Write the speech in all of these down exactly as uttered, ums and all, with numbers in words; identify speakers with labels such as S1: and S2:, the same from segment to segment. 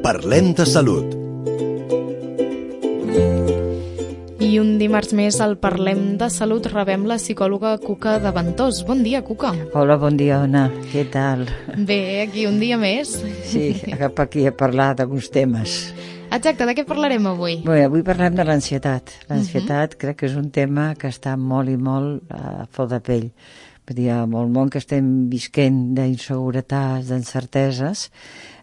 S1: Parlem de salut.
S2: I un dimarts més al Parlem de Salut rebem la psicòloga Cuca de Ventós. Bon dia, Cuca.
S3: Hola, bon dia, Ona. Què tal?
S2: Bé, aquí un dia més.
S3: Sí, cap aquí a parlar d'alguns temes.
S2: Exacte, de què parlarem avui?
S3: Bé, avui parlem de l'ansietat. L'ansietat uh-huh. crec que és un tema que està molt i molt a flor de pell. Vull dir, amb el món que estem visquent d'inseguretats, d'incerteses,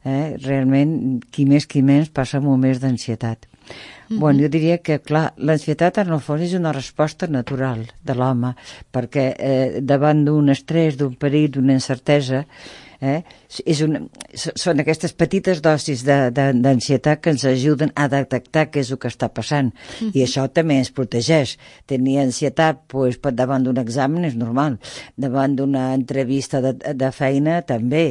S3: eh, realment, qui més qui menys passa moments d'ansietat. Mm-hmm. Bueno, jo diria que, clar, l'ansietat en el fons és una resposta natural de l'home, perquè eh, davant d'un estrès, d'un perill, d'una incertesa, eh, és una, són aquestes petites dosis d'ansietat que ens ajuden a detectar què és el que està passant. Mm-hmm. I això també ens protegeix. Tenir ansietat pues, davant d'un examen és normal, davant d'una entrevista de, de feina també.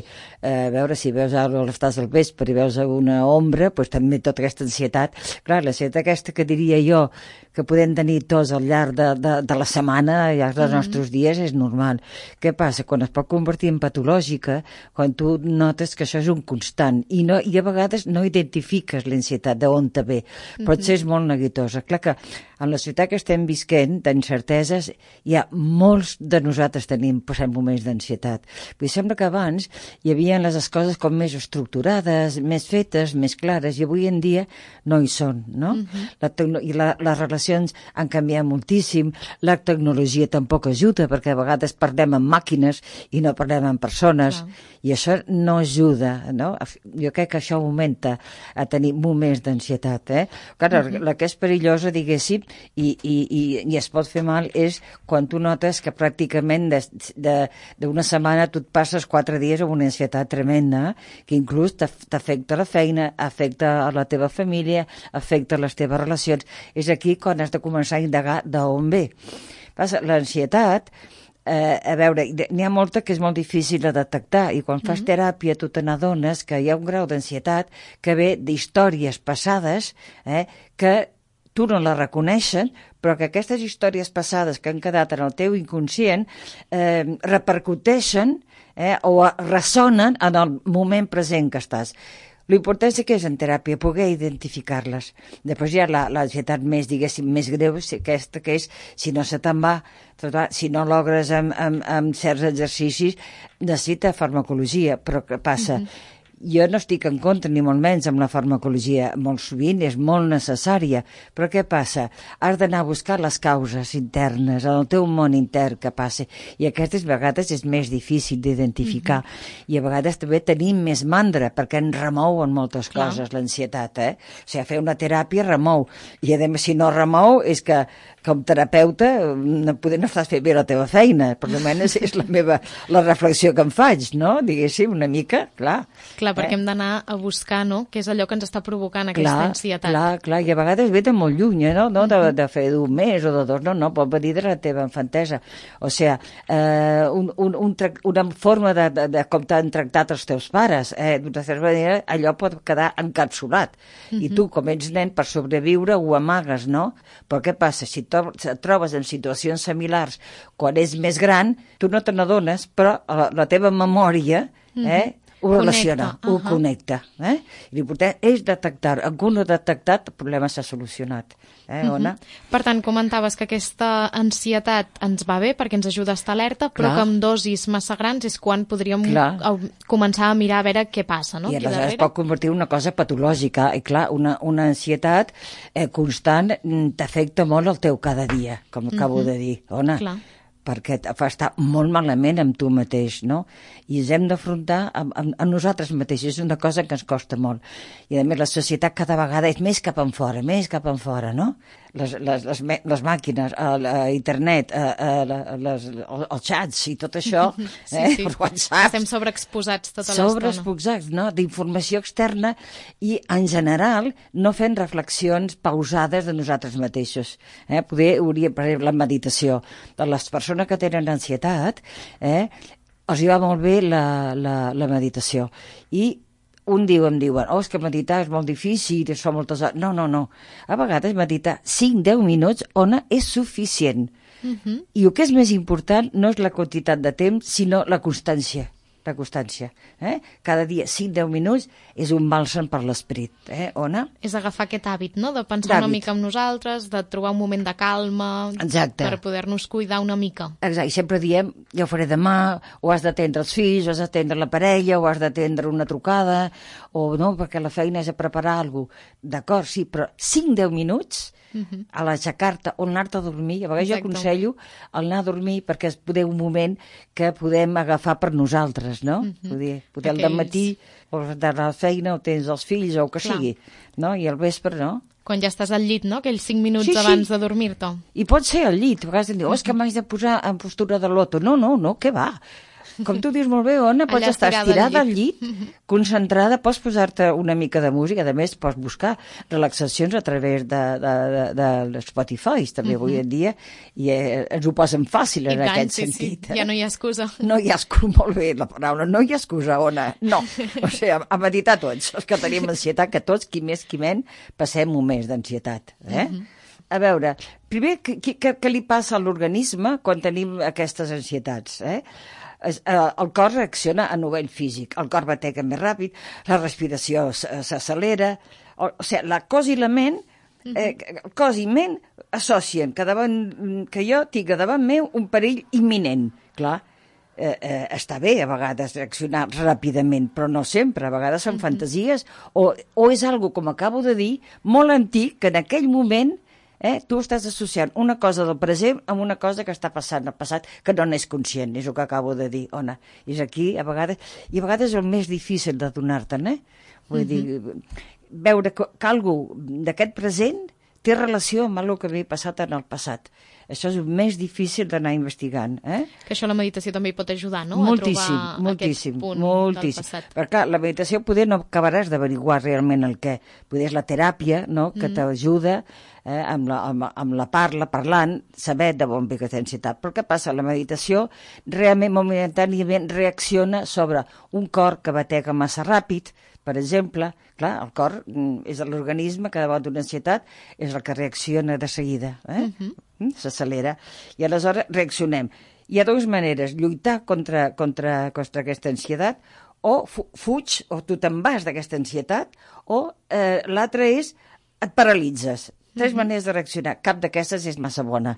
S3: Eh, veure si veus alguna cosa a l'estàs del vespre i veus una ombra, pues, també tota aquesta ansietat. Clar, l'ansietat aquesta que diria jo que podem tenir tots al llarg de, de, de la setmana, al llarg dels mm-hmm. nostres dies, és normal. Què passa? Quan es pot convertir en patològica, quan tu notes que això és un constant i, no, i a vegades no identifiques l'ansietat d'on te ve, pot mm-hmm. ser molt neguitosa. Clar que en la ciutat que estem visquent d'incerteses hi ha molts de nosaltres tenim passant moments d'ansietat. Vull dir, sembla que abans hi havia les coses com més estructurades, més fetes, més clares, i avui en dia no hi són, no? Mm-hmm. La tecno- I la, les relacions han canviat moltíssim, la tecnologia tampoc ajuda, perquè a vegades parlem amb màquines i no parlem amb persones, wow. i això no ajuda, no? Jo crec que això augmenta a tenir moments d'ansietat, eh? Clar, mm-hmm. la que és perillosa, diguéssim, i, i, i, i es pot fer mal és quan tu notes que pràcticament d'una setmana tu et passes quatre dies amb una ansietat tremenda, que inclús t'afecta la feina, afecta a la teva família, afecta les teves relacions. És aquí quan has de començar a indagar d'on ve. L'ansietat, eh, a veure, n'hi ha molta que és molt difícil de detectar, i quan fas mm-hmm. teràpia tu te n'adones que hi ha un grau d'ansietat que ve d'històries passades, eh, que tu no la reconeixen, però que aquestes històries passades que han quedat en el teu inconscient eh, repercuteixen eh, o ressonen en el moment present que estàs. L'important és que és en teràpia poder identificar-les. Després hi ha l'ansietat més, diguéssim, més greu, aquesta que és, si no se te'n va, si no logres amb, amb, amb certs exercicis, necessita farmacologia, però què passa? Mm-hmm. Jo no estic en contra, ni molt menys, amb la farmacologia. Molt sovint és molt necessària. Però què passa? Has d'anar a buscar les causes internes, en el teu món intern que passa. I aquestes vegades és més difícil d'identificar. Mm-hmm. I a vegades també tenim més mandra, perquè ens remouen moltes Clar. coses, l'ansietat. Eh? O sigui, fer una teràpia remou. I a més, si no remou, és que com terapeuta no, poder, no estàs fent bé la teva feina. Per almenys és la meva la reflexió que em faig, no? Diguéssim, una mica, clar.
S2: Clar, perquè eh? hem d'anar a buscar, no?, què és allò que ens està provocant aquesta
S3: clar,
S2: ansietat.
S3: Clar, clar, i a vegades ve de molt lluny, eh, no? no? De, de fer d'un mes o de dos, no, no, pot venir de la teva infantesa. O sigui, eh, un, un, un, una forma de, de, de com t'han tractat els teus pares, eh, d'una certa manera, allò pot quedar encapsulat. Uh-huh. I tu, com ets nen, per sobreviure ho amagues, no? Però què passa? Si et trobes en situacions similars quan és més gran, tu no te n'adones, però la, la teva memòria eh, ho relaciona, connecta, ho uh-huh. connecta. Eh? L'important és detectar. En un no detectat, el problema s'ha solucionat. Eh, Ona?
S2: Uh-huh. Per tant, comentaves que aquesta ansietat ens va bé perquè ens ajuda a estar alerta, però Clar. que amb dosis massa grans és quan podríem a, començar a mirar a veure què passa, no?
S3: I aleshores es pot convertir en una cosa patològica. I clar, una, una ansietat eh, constant t'afecta molt el teu cada dia, com acabo uh-huh. de dir. Ona? Clar. Perquè et fa estar molt malament amb tu mateix, no? I ens hem d'afrontar amb, amb, amb nosaltres mateixos, és una cosa que ens costa molt. I a més la societat cada vegada és més cap enfora, més cap enfora, no? Les, les, les, les màquines, el, el internet, el, les, els xats i tot això,
S2: sí,
S3: eh?
S2: sí.
S3: Per WhatsApp.
S2: Estem sobreexposats tota l'estona.
S3: Sobreexposats, no? D'informació externa i, en general, no fent reflexions pausades de nosaltres mateixos. Eh? Poder, hauria, per exemple, la meditació de les persones que tenen ansietat, eh? els hi va molt bé la, la, la meditació. I un diu, em diuen, oh, és que meditar és molt difícil, són moltes hores. No, no, no. A vegades meditar cinc a deu minuts, Ona, és suficient. Uh-huh. I el que és més important no és la quantitat de temps, sinó la constància. la constància. Eh? Cada dia, cinc a deu minuts, és un bàlsam per l'esperit. Eh, Ona?
S2: És agafar aquest hàbit, no?, de pensar una mica en nosaltres, de trobar un moment de calma. Exacte. Per poder-nos cuidar una mica.
S3: Exacte, i sempre diem, ja ho faré demà, o has d'atendre els fills, o has d'atendre la parella, o has d'atendre una trucada, o no, perquè la feina és a preparar alguna cosa. D'acord, sí, però cinc a deu minuts uh-huh. a l'aixecar-te o anar-te a dormir. A vegades Exacte. Jo aconsello el anar a dormir perquè és poder un moment que podem agafar per nosaltres, no? Uh-huh. Poder, poder Aquells... al matí, o de la feina, o tens els fills, o el que Clar. Sigui. No? I al vespre, no?
S2: Quan ja estàs al llit, no?, aquells cinc minuts sí, sí. abans de dormir-te.
S3: I pot ser al llit. A vegades em diu, oh, és que m'haig de posar en postura de loto. No, no, no, què va? Com tu dius molt bé, Ona, pots estar estirada al llit, al llit concentrada, pots posar-te una mica de música, a més pots buscar relaxacions a través de, de, de, de Spotify, també uh-huh. avui en dia, i eh, ens ho posen fàcil en I aquest tant, sentit.
S2: Sí, sí. Ja no hi ha excusa.
S3: No hi ha excusa, molt bé la paraula, no hi ha excusa, Ona, no. O sigui, a, a meditar tots, els que tenim ansietat, que tots, qui més qui menys, passem moments d'ansietat, eh? Uh-huh. A veure, primer, què, què, què li passa a l'organisme quan tenim aquestes ansietats, eh? El cor reacciona a nivell físic, el cor batega més ràpid, la respiració s'accelera, o, o sigui, la cos i la ment, eh, el cos i ment associen que, davant, que jo tinc davant meu un perill imminent. Clar, eh, eh, està bé a vegades reaccionar ràpidament, però no sempre, a vegades són uh-huh. fantasies, o, o és algo, com acabo de dir, molt antic, que en aquell moment Eh? tu estàs associant una cosa del present amb una cosa que està passant al passat que no n'és conscient, és el que acabo de dir, Ona. És aquí, a vegades, i a vegades és el més difícil de donar-te'n, eh? Vull uh-huh. dir, veure que, que algú d'aquest present té relació amb el que havia passat en el passat. Això és el més difícil d'anar investigant. Eh?
S2: Que això la meditació també hi pot ajudar, no?
S3: Moltíssim,
S2: a trobar
S3: moltíssim,
S2: aquest punt
S3: moltíssim.
S2: del passat.
S3: Perquè clar, la meditació poder no acabaràs d'averiguar realment el què. Poder és la teràpia, no?, que mm. t'ajuda eh, amb, la, amb, amb la parla, parlant, saber de on ve aquesta ansietat. Però què passa? La meditació realment, momentàniament, reacciona sobre un cor que batega massa ràpid, per exemple. Clar, el cor és l'organisme que davant d'una ansietat és el que reacciona de seguida, eh? Uh-huh. S'accelera. I aleshores reaccionem. Hi ha dues maneres, lluitar contra, contra, contra aquesta ansietat, o fu fuig, o tu te'n vas d'aquesta ansietat, o eh, l'altra és et paralitzes. Tres uh-huh. maneres de reaccionar. Cap d'aquestes és massa bona.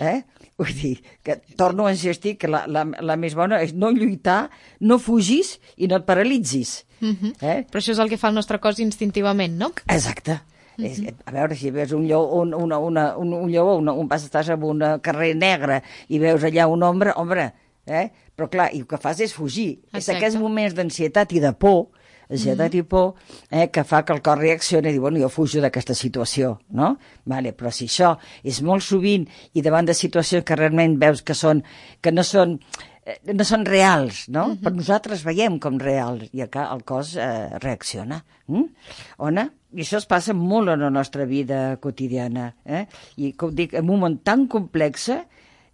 S3: Eh? Vull dir, que torno a insistir que la, la, la més bona és no lluitar, no fugis i no et paralitzis.
S2: Uh-huh. eh? Però això és el que fa el nostre cos instintivament, no?
S3: Exacte. Uh-huh. És, a veure, si veus un lleó, un, una, una, un, un lleó, una, un pas estàs en un carrer negre i veus allà un ombra, ombra, eh? Però clar, i el que fas és fugir. Exacte. És aquests moments d'ansietat i de por, ansietat mm-hmm. i por, eh, que fa que el cor reaccioni i diu, bueno, jo fujo d'aquesta situació, no? Vale, però si això és molt sovint i davant de situacions que realment veus que són, que no són, eh, no són reals, no? Mm-hmm. Però nosaltres veiem com reals i acá el cos eh, reacciona. Mm? Ona? I això es passa molt en la nostra vida quotidiana, eh? I com dic, en un món tan complex,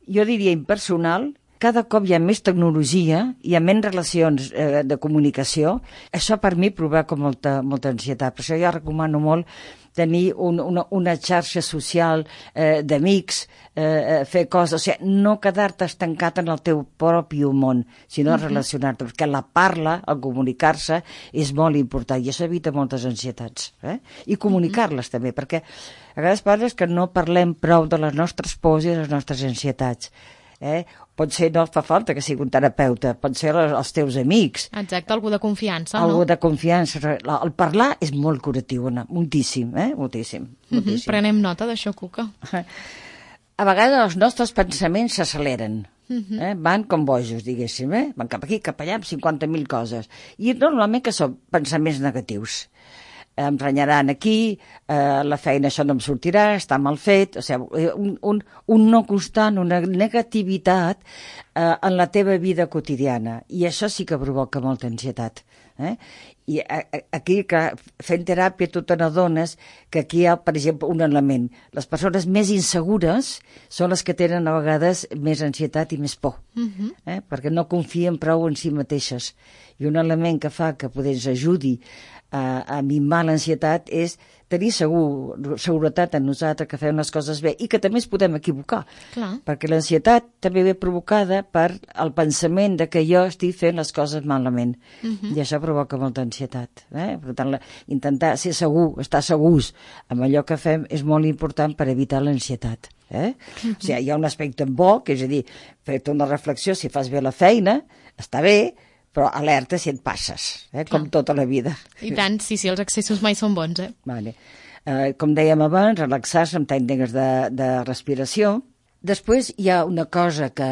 S3: jo diria impersonal, cada cop hi ha més tecnologia, hi ha menys relacions eh, de comunicació. Això per mi provoca molta, molta ansietat. Per això jo recomano molt tenir un, una, una xarxa social eh, d'amics, eh, fer coses, o sigui, no quedar-te estancat en el teu propi món, sinó uh-huh. relacionar-te, perquè la parla, el comunicar-se, és molt important, i això evita moltes ansietats. Eh? I comunicar-les uh-huh. també, perquè a vegades parles que no parlem prou de les nostres pors i les nostres ansietats. Eh? Pot ser, no fa falta que sigui un terapeuta, pot ser els teus amics.
S2: Exacte, algú de confiança,
S3: algú
S2: no?
S3: Algú de confiança. El parlar és molt curatiu, Anna, moltíssim, eh? Moltíssim. moltíssim.
S2: Uh-huh. Prenem nota d'això, Cuca.
S3: A vegades els nostres pensaments s'acceleren, uh-huh. eh? van com bojos, diguéssim, eh? Van cap aquí, cap allà, amb cinquanta mil coses. I normalment que són pensaments negatius. Em renyaran aquí, eh, la feina això no em sortirà, està mal fet, o sigui, un, un, un no constant, una negativitat eh, en la teva vida quotidiana, i això sí que provoca molta ansietat. Eh? I a, a, aquí, que fent teràpia, tu te n'adones que aquí hi ha, per exemple, un element. Les persones més insegures són les que tenen a vegades més ansietat i més por, uh-huh. eh? perquè no confien prou en si mateixes. I un element que fa que poder ens ajudi a, a minvar l'ansietat és tenir segur, seguretat en nosaltres que fem les coses bé i que també ens podem equivocar.
S2: Clar.
S3: Perquè l'ansietat també ve provocada per el pensament de que jo estic fent les coses malament. Uh-huh. I això provoca molta ansietat. Eh? Per tant, la, intentar ser segur, estar segurs amb allò que fem és molt important per evitar l'ansietat. Eh? Uh-huh. O sigui, hi ha un aspecte bo, que és a dir, fer-te una reflexió, si fas bé la feina, està bé, però alerta si et passes, eh? com tota la vida.
S2: I tant, sí, sí, els excessos mai són bons. Eh?
S3: Vale. Eh, com dèiem abans, relaxar-se amb tècniques de, de respiració. Després hi ha una cosa que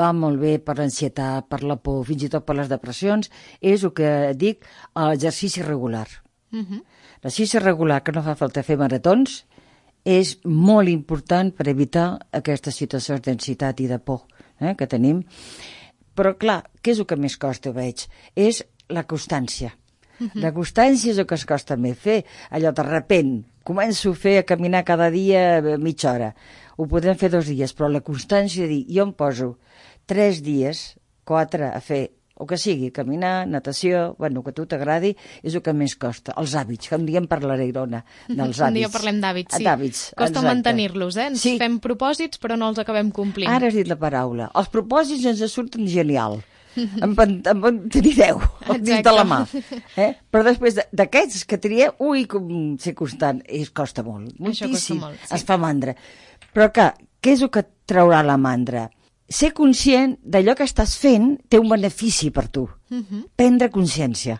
S3: va molt bé per l'ansietat, per la por, fins i tot per les depressions, és el que dic, l'exercici regular. Uh-huh. L'exercici regular, que no fa falta fer maratons, és molt important per evitar aquestes situacions d'ansietat i de por eh, que tenim. Però, clar, què és el que més costa, veig? És la constància. Uh-huh. La constància és el que es costa més fer. Allò, de repent, començo a fer a caminar cada dia mitja hora. Ho podem fer dos dies, però la constància de dir, jo em poso tres dies, quatre, a fer o que sigui, caminar, natació, bueno, que a tu t'agradi, és el que més costa. Els hàbits, que un dia en parlaré, Irona, dels hàbits.
S2: Un dia parlem d'hàbits, sí.
S3: D'hàbits,
S2: costa
S3: exacte.
S2: Mantenir-los, eh? Ens
S3: sí.
S2: fem propòsits, però no els acabem complint.
S3: Ara has dit la paraula. Els propòsits ens surten genial. en, en, en tenir deu dins de la mà. Eh? Però després d'aquests que tria, ui, com ser constant, es costa molt. Moltíssim.
S2: Això costa molt, sí.
S3: Es fa mandra. Però que, què és el que et traurà la mandra? Ser conscient d'allò que estàs fent té un benefici per tu. Uh-huh. Prendre consciència.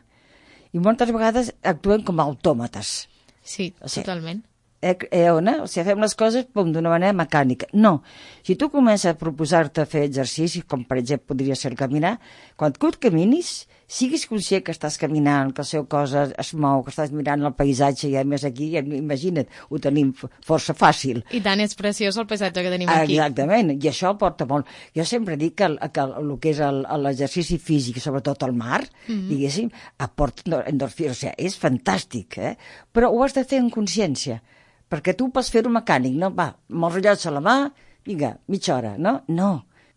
S3: I moltes vegades actuem com autòmates.
S2: Sí, o sigui, totalment.
S3: Eh, eh, Ona? O sigui, fem les coses d'una manera mecànica. No. Si tu comences a proposar-te fer exercicis, com per exemple podria ser el caminar, quan tu et caminis, siguis conscient que estàs caminant, que el seu cos es mou, que estàs mirant el paisatge, i a més aquí, imagina't, ho tenim força fàcil.
S2: I tant, és preciós el paisatge que tenim aquí.
S3: Exactament, i això porta molt. Jo sempre dic que el que, el que és l'exercici físic, sobretot al mar, mm-hmm. diguéssim, aporta endorfina, o sigui, és fantàstic, eh? Però ho has de fer en consciència, perquè tu pots fer-ho mecànic, no? Va, amb el rellotge a la mà, vinga, mitja hora, no? No.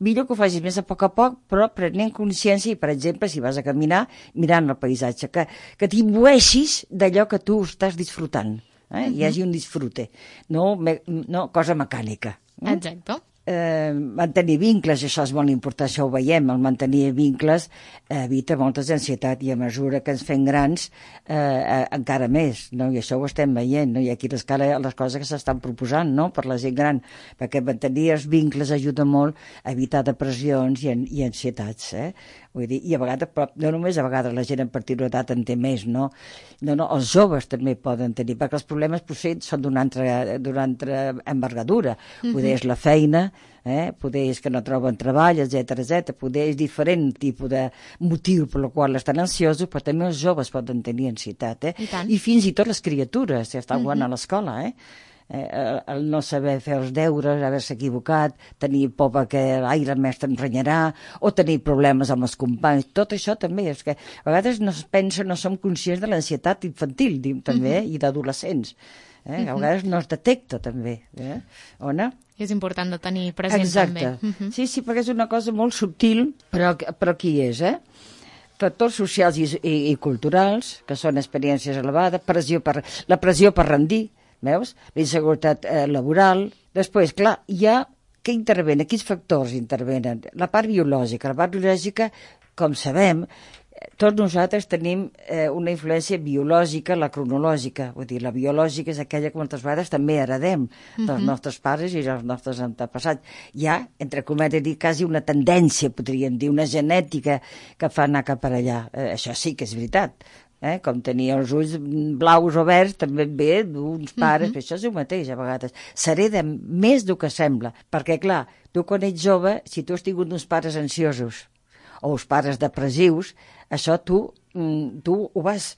S3: Millor que ho facis més a poc a poc, però prenent consciència i, per exemple, si vas a caminar, mirant el paisatge, que, que t'imbueixis d'allò que tu estàs disfrutant. Eh? Uh-huh. Hi hagi un disfrute, no, me, no cosa mecànica. Eh?
S2: Exacte.
S3: Eh, mantenir vincles, això és molt important, això ho veiem, el mantenir vincles eh, evita moltes ansietat i a mesura que ens fem grans eh, eh, encara més, no? I això ho estem veient, no? I aquí les, les coses que s'estan proposant, no? Per la gent gran, perquè mantenir els vincles ajuda molt a evitar depressions i, i ansietats, eh? Vull dir, i a vegades, però no només a vegades la gent en partir d'edat en té més, no? No, no, els joves també poden tenir, perquè els problemes potser són d'una altra, d'una altra envergadura. Mm-hmm. Poder és la feina, eh? Poder és que no troben treball, etcètera, etcètera. Poder és diferent tipus de motiu per el qual estan ansiosos, però també els joves poden tenir ansietat, eh?
S2: I tant.
S3: I fins i tot les criatures, si estan jugant
S2: mm-hmm.
S3: a l'escola, eh? Eh, el no saber fer els deures, haver-se equivocat, tenir por perquè l'aire el mestre em renyarà, o tenir problemes amb els companys, tot això també, és que a vegades no es pensa, no som conscients de l'ansietat infantil, diu, també, mm-hmm. i d'adolescents. Eh? Mm-hmm. A vegades no es detecta, també. Eh? Ona?
S2: És important de tenir present,
S3: exacte.
S2: també. Mm-hmm.
S3: Sí, sí, perquè és una cosa molt subtil, però, però aquí és, eh? Factors socials i, i, i culturals, que són experiències elevades, pressió per, la pressió per rendir, veus? La inseguretat eh, laboral. Després, clar, hi ha què intervenen, quins factors intervenen? La part biològica. La part biològica, com sabem, tots nosaltres tenim eh, una influència biològica, la cronològica. Vull dir, la biològica és aquella que moltes vegades també heredem dels uh-huh. nostres pares i dels nostres antepassats. Hi ha, entre cometes, dir, quasi una tendència, podríem dir, una genètica que fa anar cap per allà. Eh, això sí que és veritat. Eh? Com tenir els ulls blaus o verds també ve d'uns pares, uh-huh. això és el mateix a vegades, s'hereda més del que sembla, perquè clar, tu quan ets jove, si tu has tingut uns pares ansiosos o uns pares depressius, això tu, tu ho vas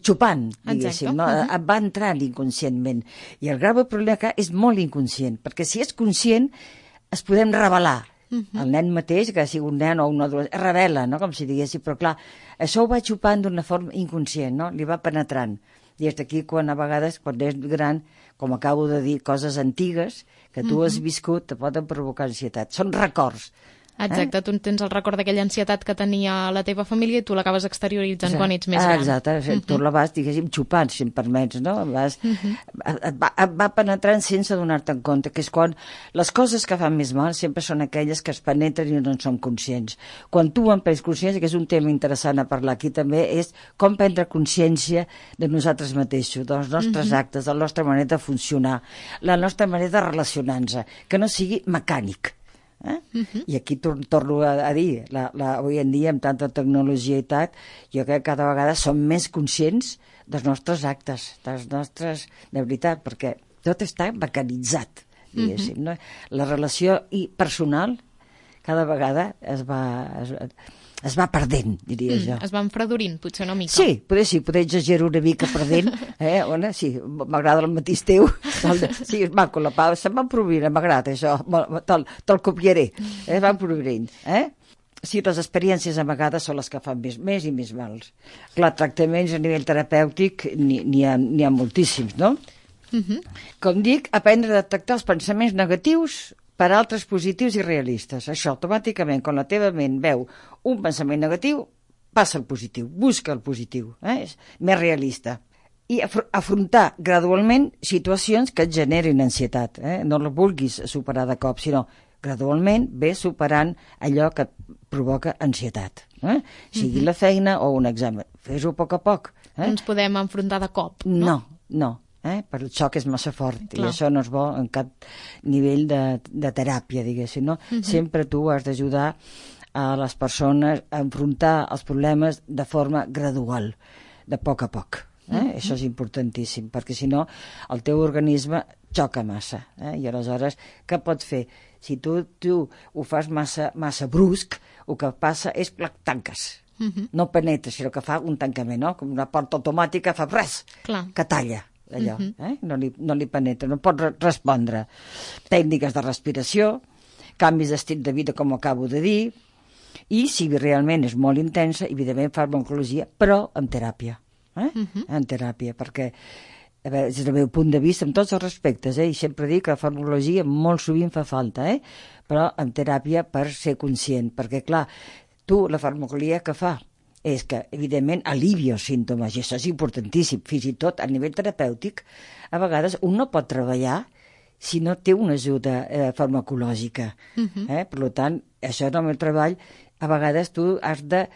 S3: xupant, diguéssim, no? Uh-huh. Et va entrant inconscientment, i el grave problema que és molt inconscient, perquè si és conscient es podem revelar, Uh-huh. El nen mateix, que sigui un nen o un adolescent, es revela, no?, com si diguéssim, però clar, això ho va xupant d'una forma inconscient, no?, li va penetrant. I és d'aquí quan a vegades, quan és gran, com acabo de dir, coses antigues que tu uh-huh. has viscut te poden provocar ansietat. Són records.
S2: Exacte, eh? Tu tens el record d'aquella ansietat que tenia la teva família i tu l'acabes exterioritzant exacte. Quan ets més gran.
S3: Exacte, uh-huh. tu la vas, diguéssim, xupant, si em permets, no? Vas, uh-huh. et, va, et va penetrant sense donar-te en compte, que és quan les coses que fan més mal sempre són aquelles que es penetren i no en som conscients. Quan tu en prens consciència, que és un tema interessant a parlar aquí també, és com prendre consciència de nosaltres mateixos, dels nostres uh-huh. actes, de la nostra manera de funcionar, la nostra manera de relacionar-nos, que no sigui mecànic. Eh? Uh-huh. I aquí tor torno a, a dir, la, la, avui en dia amb tanta tecnologia i tal, jo crec que cada vegada som més conscients dels nostres actes, dels nostres, de veritat, perquè tot està mecanitzat, diguéssim, uh-huh. no? La relació i personal cada vegada es va, es, es va perdent, diria mm, jo.
S2: Es va enfredorint, potser una mica.
S3: Sí, poder, sí, poder exagerar una mica perdent, eh? Ona, sí, m'agrada el matís teu, sí, és maco la Pau, se'm va provint, m'agrada això, te'l te copiaré, eh? Va provint, eh? Sí, les experiències a vegades són les que fan més, més i més mals. Clar, tractaments a nivell terapèutic n'hi ha, ha moltíssims, no? Uh-huh. Com dic, aprendre a detectar els pensaments negatius per altres positius i realistes. Això, automàticament, quan la teva ment veu un pensament negatiu, passa al positiu, busca el positiu, eh? És més realista. I afr afrontar gradualment situacions que et generin ansietat. Eh? No la vulguis superar de cop, sinó gradualment ve superant allò que et provoca ansietat. Eh? Sigui mm-hmm. la feina o un examen. Fes-ho a poc a poc. Eh?
S2: No ens podem enfrontar de cop, no?
S3: No, no. Eh? Per el xoc és massa fort. Clar. I això no és bo en cap nivell de, de teràpia, diguéssim, no? Uh-huh. Sempre tu has d'ajudar a les persones a enfrontar els problemes de forma gradual, de poc a poc. Eh? Uh-huh. Això és importantíssim, perquè si no el teu organisme xoca massa. Eh? I aleshores, què pots fer? Si tu, tu ho fas massa, massa brusc, el que passa és que tanques. Uh-huh. No penetres, sinó que fa un tancament, no? Com una porta automàtica fa res, Clar. Que talla. Allò, uh-huh. eh? no, li, no li penetra, no pot re respondre. Tècniques de respiració, canvis d'estil de vida, com acabo de dir, i si realment és molt intensa, evidentment farmacologia, però amb teràpia. Eh? Uh-huh. En teràpia, perquè a veure, des del meu punt de vista, amb tots els respectes, eh? I sempre dic que la farmacologia molt sovint fa falta, eh? Però amb teràpia per ser conscient, perquè clar, tu la farmacologia que fa? És que, evidentment, alivia els símptomes, i això és importantíssim. Fins i tot, a nivell terapèutic, a vegades un no pot treballar si no té una ajuda eh, farmacològica. Uh-huh. eh? Per tant, això en el meu treball, a vegades tu has de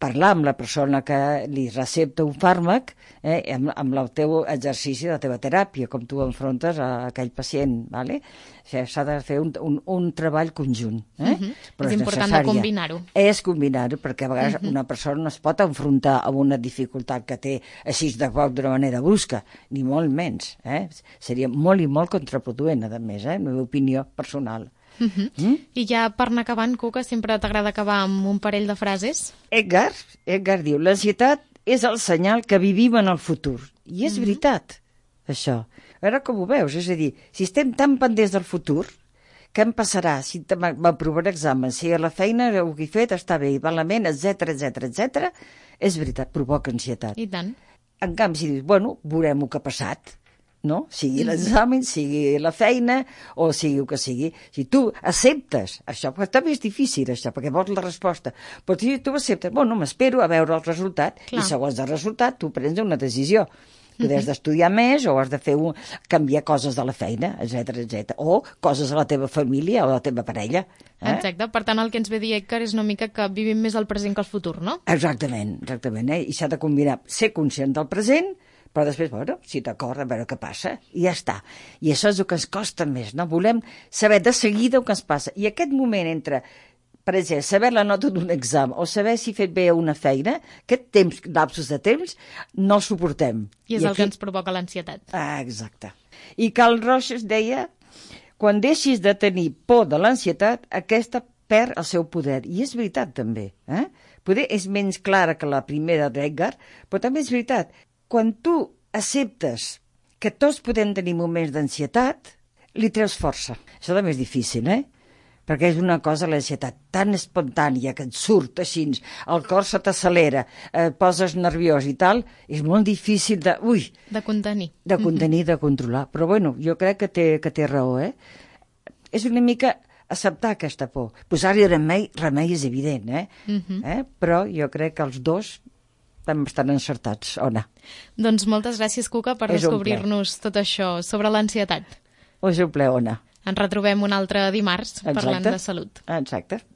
S3: parlar amb la persona que li recepta un fàrmac, eh, amb, amb el teu exercici de la teva teràpia, com tu enfrontes a aquell pacient, ¿vale? O sigui, s'ha de fer un, un, un treball conjunt. Eh? Uh-huh.
S2: Però és, és important de combinar-ho.
S3: És combinar-ho, perquè a vegades uh-huh. una persona no es pot enfrontar amb una dificultat que té així de cop d'una manera brusca, ni molt menys. Eh? Seria molt i molt contraproduent, a més, eh? La meva opinió personal.
S2: Uh-huh. mm? I ja per anar acabant, Cuca, sempre t'agrada acabar amb un parell de frases?
S3: Edgar, Edgar diu, l'ansietat és el senyal que vivim en el futur. I és uh-huh. veritat, això. A veure com ho veus, és a dir, si estem tan pendents del futur, què em passarà si m'aprovaré examen, si a la feina el que he fet està bé i malament, etcètera, etcètera, etcètera, és veritat, provoca ansietat.
S2: I tant.
S3: En canvi, si dius, bueno, veurem el que ha passat, no? Sigui l'examen, sigui la feina o sigui el que sigui. Si tu acceptes això, perquè també és difícil això, perquè vols la resposta, però si tu acceptes, bueno, m'espero a veure el resultat, Clar. I segons el resultat tu prens una decisió. Tu has d'estudiar més o has de fer un, canviar coses de la feina, etcètera, etcètera, o coses a la teva família o a la teva parella. Eh?
S2: Exacte, per tant el que ens ve a dir Edgar és una mica que vivim més el present que el futur, no?
S3: Exactament, exactament, eh? I s'ha de combinar ser conscient del present, però després, bueno, si t'acord, a veure què passa, i ja està. I això és el que ens costa més, no? Volem saber de seguida el que ens passa. I aquest moment entre, per exemple, saber la nota d'un examen o saber si he fet bé una feina, aquest temps, lapsos de temps, no el suportem.
S2: I és I el aquí... que ens provoca l'ansietat.
S3: Ah, exacte. I Carl Rogers deia, quan deixis de tenir por de l'ansietat, aquesta perd el seu poder. I és veritat, també. Eh? Poder és menys clara que la primera d'Edgar, però també és veritat. Quan tu acceptes que tots podem tenir moments d'ansietat, li treus força. Això també és difícil, eh? perquè és una cosa, l'ansietat tan espontània que et surt així, el cor se t'accelera, et poses nerviós i tal, és molt difícil de... Ui,
S2: de contenir.
S3: De contenir, de controlar. Però bueno, jo crec que té, que té raó, eh? És una mica acceptar aquesta por. Posar-hi remei, remei és evident, eh? Uh-huh. eh? Però jo crec que els dos estan bastant encertats, Ona.
S2: Doncs moltes gràcies, Cuca, per descobrir-nos tot això sobre l'ansietat.
S3: És un ple, Ona.
S2: Ens retrobem un altre dimarts parlant de salut.
S3: Exacte.